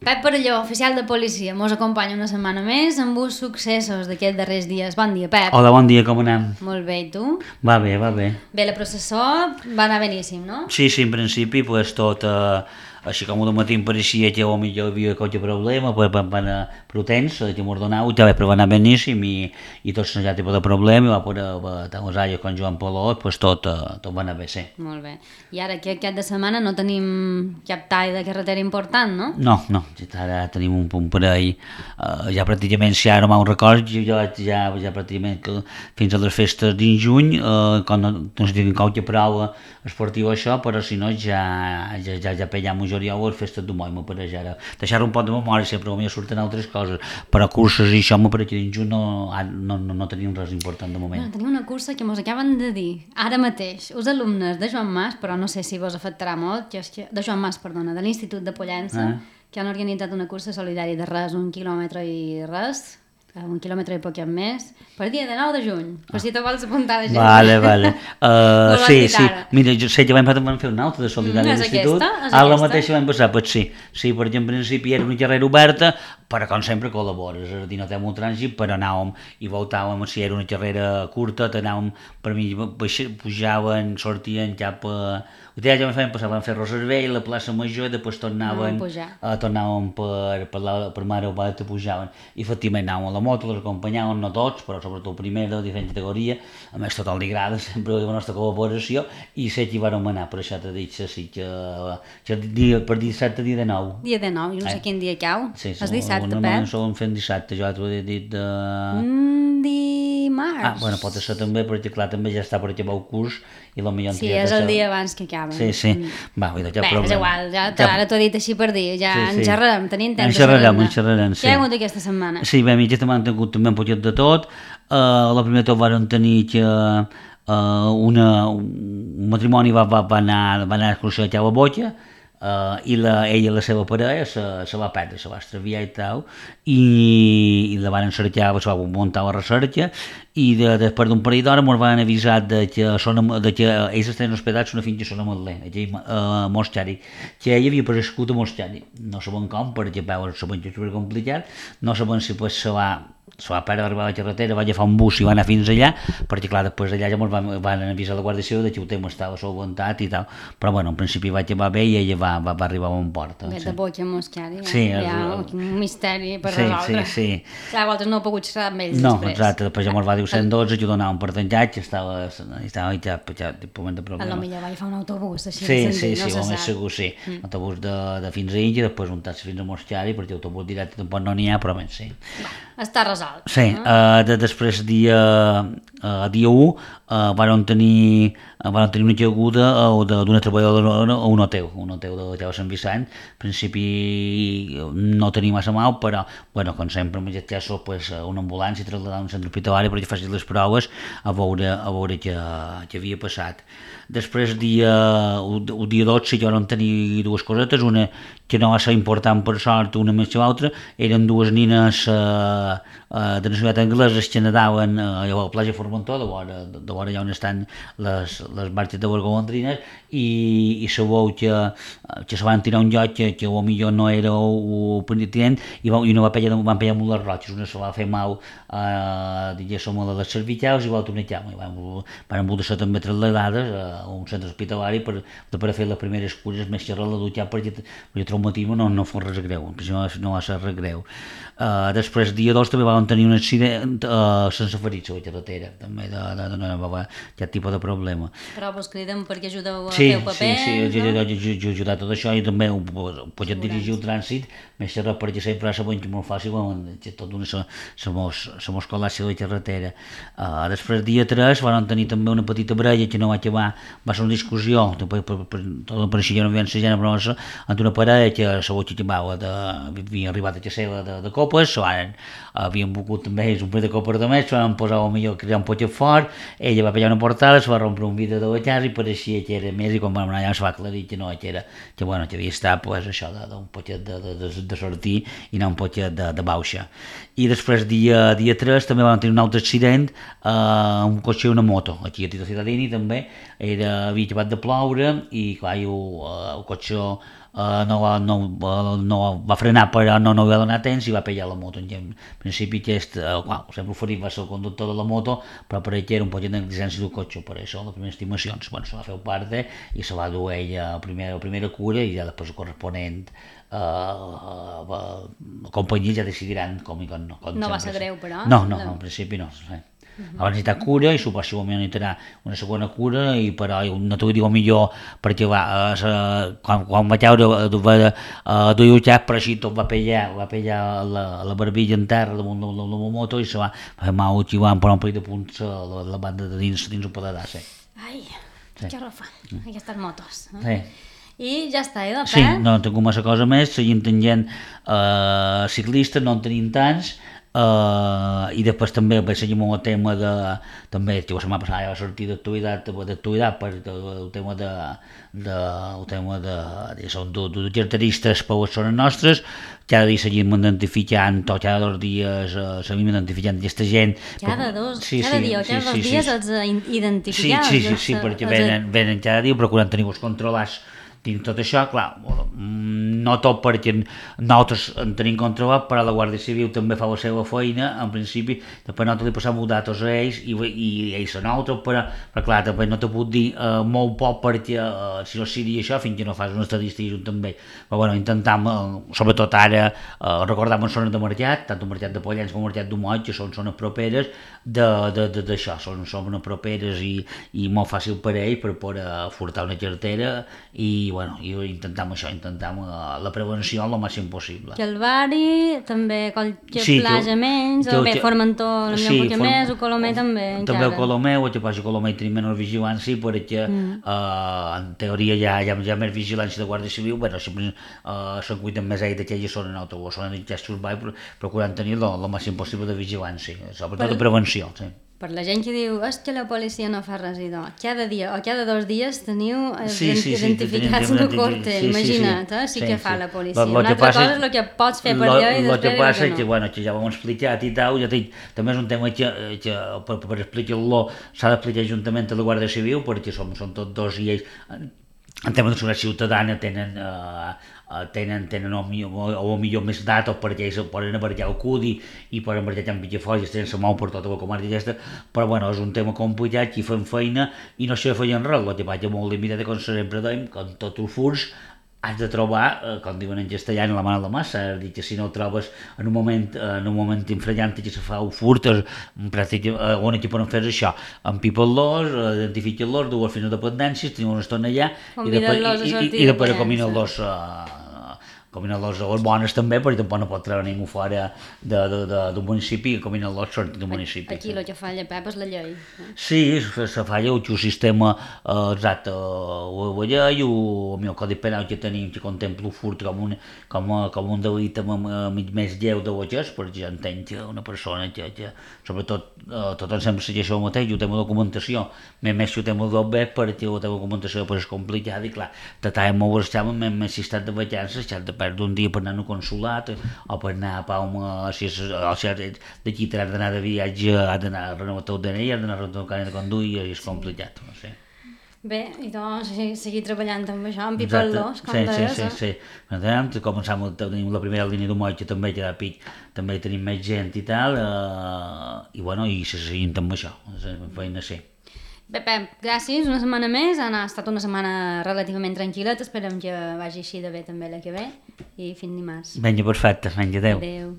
Pep Parelló, oficial de policia, mos acompanya una setmana més amb uns successos d'aquests darrers dies. Bon dia, Pep. Hola, bon dia, com anem? Molt bé, i tu? Va bé, va bé. Bé, la processó va anar beníssim, no? Sí, en principi, pues, tot, així com de matí em pareixia que potser hi havia qualque problema, pues, van anar prudents, que m'ordenau, però va anar beníssim i tot sense cap tipus de problema, i va poder tant les àrees com Joan Paló, pues, tot va anar bé, sí. Molt bé. I ara, aquest cap de setmana no tenim cap tall de carretera important, no? No, ara tenim un parell, ja pràcticament, si ara me'n record, ja pràcticament que fins a les festes dins juny, quan no sé si tinc qualque prova esportiva això, però si no ja pellem un juliol a les festes de moi, m'ho pareix ara. Deixar un pot de memòria, sempre m'hi surten altres coses, però curses i això m'ho pareix que dins juny no tenim res important de moment. Bueno, tenim una cursa que mos acaben de dir ara mateix, els alumnes de Joan Mas, però no sé si vos afectarà molt, de Joan Mas, perdona, de l'Institut de Pollença, que han organitzat una cursa solidària de res, 1 quilòmetre i res, 1 quilòmetre i poc més, per dia de 9 de juny, per si te vols apuntar de gent. Vale. Sí, mira, jo sé que l'any passat vam fer una altra de solidària a l'Institut, la mateixa l'any passat, pues sí, perquè en principi era una carrera oberta, però com sempre col·labores, és a dir, no té molt trànsit, però anàvem i voltàvem, si era una carrera curta, anàvem, per mi, pujaven, sortien cap a... Ja vam fer Roservell, la plaça Major, i després tornàvem per Mare Oberta, pujaven, i efectivament anàvem a la moto, les acompanyàvem, no tots, però sobretot primera, de diferent categoria, a més tothom li agrada, sempre la nostra col·laboració, i sé que hi vam anar, per això t'he dit, sí, que per dissabte, dia de 9. Dia de 9, i no sé quin dia cau. Sí, és dissabte, Pep? Normalment solen fer dissabte, jo t'ho he dit de... Dimarts. Bueno, pot ser també, perquè clar, també ja està per acabar el curs, i potser... Sí, és el dia abans que acaba. Sí. Va, vull dir, bé, és igual, ara t'ho he dit així per dir, ja en xerrarem, tenim temps. En xerrarem, sí. Què hi ha hagut aquesta setmana? Sí, bé, aquesta setmana hem tingut també un poquet de tot. La primera tot vàrem tenir que un matrimoni va anar a excursió a la Botja, i ella i la seva parella se va perdre, se va extraviar i tal, i la van cercar, se va muntar la recerca, i després d'un parell d'hores ens van avisar que ells estaven hospedats una finca a Son Ametler, a Mostari, que ell havia prescut a Mostari. No sabem com, perquè sabem que és supercomplicat, no sabem si se va perdre arribar a la carretera, va agafar un bus i va anar fins allà, perquè clar, després d'allà ja ens van avisar la Guàrdia Civil que el tema estava solventat i tal, però bueno, en principi va acabar bé i ella va arribar a un port. De Botja a Mostari, hi ha un misteri per resoldre. Sí. Clar, vosaltres no heu pogut xerrar amb ells després. No, exacte, després ja ens va dir 112, que donàvem per tancat, que estava ja moment de problema. A lo millor va agafar un autobús, així de senzill, no se sap. Segur, sí. Autobús de fins a Inge, després un taxi fins a Mostari, perquè autobús directe tampoc no n'hi ha, però bé, sí. Està resolt. Sí, després dia 1 van tenir una caiguda d'una treballadora a un hotel de Sant Vicent. En principi no tenia massa mal, però, bueno, com sempre, en aquest cas, pues, una ambulància traslladada a un centre hospitalari perquè facin les proves a veure què havia passat. Després, el dia 12, ja vam tenir dues cosetes, una que no va ser important per sort, una més que l'altra, eren dues nines de nacionalitat angleses que nadaven a la platja Formentor, de vora allà on estan les marxes de les golondrines, i sabeu que se van tirar un lloc que potser no era el pertinent, i van pegar amb les roques, una se va fer mal diguéssim a les cervicals i l'altra una cama, i van voler ser també trasladades a un centre hospitalari per fer les primeres cures més que res la dutxar, perquè el traumatisme no fos res greu, no va ser res greu. Després, dia 2, també vam tenir un accident sense ferits a la carretera, també aquest tipus de problema. Però vos criden perquè ajudeu a fer el paper? Sí, ajudar tot això, i també podem dirigir el trànsit, més que res perquè sempre sabem que és molt fàcil, que tot se mos col·lapsi la carretera. Després, dia 3, vam tenir també una petita baralla que no va acabar, va ser una discussió, tot pareixia una violència gènere, però entre una parella que sabeu que havia arribat a casa de copes, havien begut també ells un parell de copes de més, se van posar millor cridar un poquet fort, ella va pegar una portada, se va rompre un vidre de la casa i pareixia que era més, i quan vam anar allà se va aclarir que no, que havia estat això d'un poquet de sortir i anar un poquet de baixa. I després, dia 3, també vam tenir un altre accident, un cotxe i una moto, aquí a Tito Cittadini també, havia acabat de ploure i clar, el cotxe no va frenar però no va donar temps i va pillar la moto. En principi sempre oferit va ser el conductor de la moto, però per ell era un poc de negligència del cotxe, per això les primeres estimacions se va fer part i se va dur ell a primera cura i ja després el corresponent la companyia ja decidiran com no va ser greu, però? No, en principi no. Va necessitar cura i suposadament necessitarà una segona cura, i però no t'ho diu millor perquè quan va caure duia el xap, però així tot va pillar la barbilla en terra damunt de la moto i se va fer mal i van posar un parell de punts a la banda de dins un pedadà. Ai, que rofa, aquestes motos. Sí. I ja està, de Sí, no tinc massa cosa més, seguim tenint ciclistes, no en tenim tants, i després també seguim amb el tema de, també la setmana passada ja va sortir d'actualitat per el tema de carteristes per les zones nostres. Cada dia seguim identificant, o cada 2 dies seguim identificant aquesta gent. Cada dia o cada 2 dies els identificats? Sí, perquè venen cada dia procurant tenir-los controlats dins tot això, clar, no tot perquè nosaltres en tenim controlat, però la Guàrdia Civil també fa la seva feina, en principi, després nosaltres li passem els datos a ells i ells a nosaltres, però clar, també no te puc dir molt poc perquè si no sigui això, fins que no fas una estadística junt amb ells. Però bueno, intentam, sobretot ara, recordar en zones de mercat, tant el mercat de Pollença com el mercat d'Humot, que són zones properes d'això, són zones properes i molt fàcil per ells per poder furtar una cartera i intentam la prevenció el màxim possible. Calvari, també Plaja menys, Formentor una mica més, o Colomer també encara. També el Colomer, o que passa Colomer tenim menys vigilància perquè en teoria hi ha més vigilància de Guàrdia Civil, sempre se'n cuiden més ells d'aquella zona en autobús, zona d'Inxestos procurant tenir el màxim possible de vigilància, sobretot de prevenció. Per la gent que diu que la policia no fa res, cada dia o cada 2 dies teniu identificats un corte, imagina't, sí que fa la policia. Una altra cosa és el que pots fer per allò i després el que passa és que ja ho hem explicat i tal, també és un tema que per explicar-lo s'ha d'explicar juntament a la Guàrdia Civil, perquè són tots dos i ells en tema de seguretat ciutadana tenen o millor més datos perquè ells poden abarcar el CUDI i poden abarcar en Picafolles, tenen la mà per tota la comarca aquesta, però és un tema complicat i fem feina i no sé feien res, el que vaig molt limitat com sempre dèiem, com tots els furs has de trobar, com diuen en castellà, la mà a la massa, és a dir, que si no el trobes en un moment infragant que se fa un furt, on aquí poden fer això, empipar-los, identificar-los, dur-los fins a dependències, tenir una estona allà i després combinar-los a les bones també, perquè tampoc no pot treure ningú fora d'un municipi i combinar-los sortir d'un municipi. Aquí el que falla, Pep, és la llei. Sí, se falla el sistema exacte, la llei, el codi penal que tenim, que contempla el furt com un delicte més lleu de l'agès, perquè ja entenc que una persona que sobretot tothom sempre segueix el mateix, el tema de documentació, més que el tema del web, perquè la teva documentació és complicada i clar, t'atàvem molt l'estat més si estàs de vacances, si has de perdre un dia per anar a un consulat o per anar a Palma, si d'aquí t'has d'anar de viatge, has d'anar a renovar el DNI, has d'anar a renovar el carnet de conduir i és complicat, no sé. Bé, i doncs seguir treballant amb això, amb pipar-los, com deies. Sí. Començam, tenim la primera línia d'Humot, que també queda pic, també tenim més gent i tal, i seguim amb això, feina sí. Bé, Pep, gràcies, una setmana més, ha estat una setmana relativament tranquil·la, esperem que vagi així de bé també la que ve, i fins dimarts. Vinga, perfecte, adeu. Adeu.